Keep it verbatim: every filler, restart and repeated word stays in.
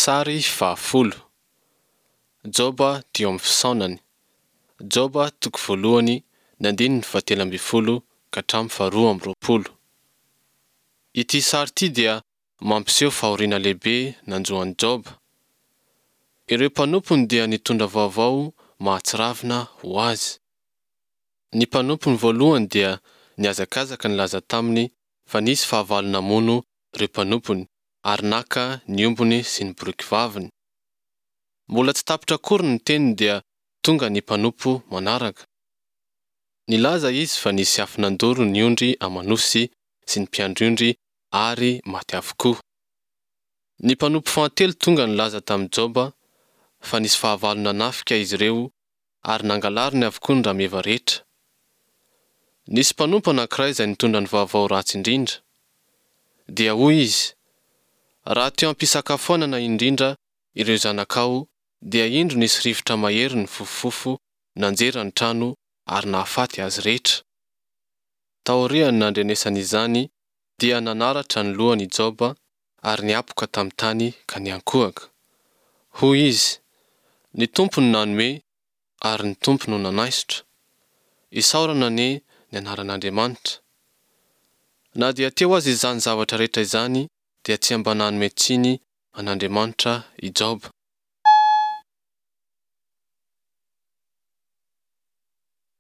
Sary fahafolo. Joba teo amin'ny fisaonany. Joba toko voalohany ny andininy fahatelo ambin'ny folo ka hatramin'ny faharoa amby roapolo. Ity sary ity dia mampiseho fahoriana lehibe nanjo an'i Joba. Ireo mpanompony dia nitondra vaovao mahatsiravina ho azy. Ny mpanompony voalohany dia nihazakazaka nilaza taminy fa nisy fahavalo namono ireo mpanompony ary naka ny ombiny sy ny boriky vaviny. Mbola tsy tapitra akory ny teniny dia tonga ny mpanompo manaraka. Nilaza izy fa nisy afo nandoro ny ondry aman'osy sy ny mpiandry ondry ary maty avokoa. Ny mpanompo fahatelo tonga nilaza tamin'i Joba fa nisy fahavalo nanafika izy ireo ary nangalariny avokoa ny rameva rehetra. Nisy mpanompo anankiray izay nitondra ny vaovao ratsy indrindra. Dia hoy izy, Raha teo am-pisakafoanana indrindra ireo zanakao dia indro nisy rivotra mahery nifofofofo nanjera ny trano ary nahafaty azy rehetra. Taorian'ny nandrenesany izany dia nanaratra ny lohany i Joba ary niapoka tamin'ny tany ka niankohoka. Hoy izy, Ny Tompo no nanome ary ny Tompo no nanaisotra. Isaorana anie ny anaran'Andriamanitra. Na dia teo aza izany zavatra rehetra izany dia tsy mba nanome tsiny an'Andriamanitra i Joba.